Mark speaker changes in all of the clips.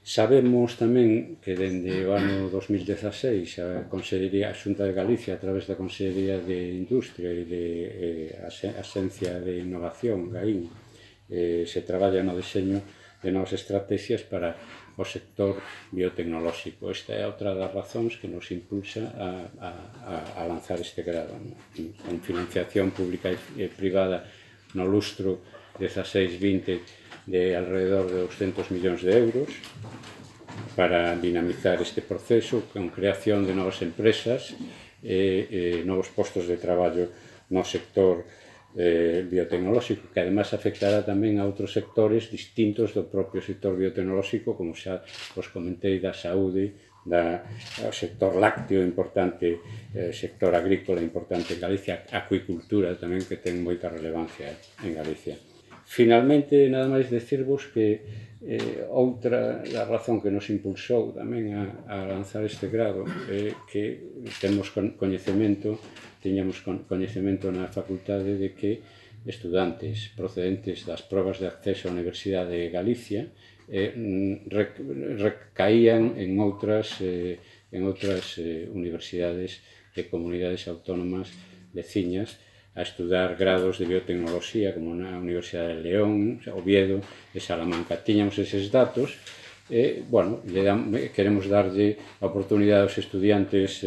Speaker 1: Sabemos tamén que dende o ano 2016 a Consellería, a Xunta de Galicia, a través da Consellería de Industria e de Axencia de Innovación, GAIN, se traballa no deseño de novas estrategias para o sector biotecnolóxico. Esta é outra das razóns que nos impulsa a lanzar este grado, con financiación pública e privada no lustro 16-20 de alrededor de 200 millóns de euros para dinamizar este proceso con creación de novas empresas e novos postos de traballo no sector biotecnolóxico, que además afectará tamén a outros sectores distintos do propio sector biotecnolóxico, como xa vos comentei, da saúde, do sector lácteo importante, sector agrícola importante en Galicia, acuicultura tamén, que ten moita relevancia en Galicia. Finalmente, nada máis decirvos que outra da razón que nos impulsou tamén a lanzar este grado é que tiñamos coñecemento na facultade de que estudantes procedentes das probas de acceso á Universidade de Galicia recaían en outras universidades e comunidades autónomas veciñas a estudar grados de biotecnoloxía, como na Universidade de León, Oviedo e Salamanca. Tiñamos eses datos e, bueno, queremos darlle a oportunidade aos estudiantes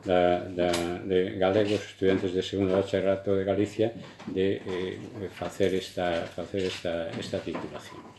Speaker 1: galegos, estudiantes de segundo bacharelato de Galicia, de facer esta titulación.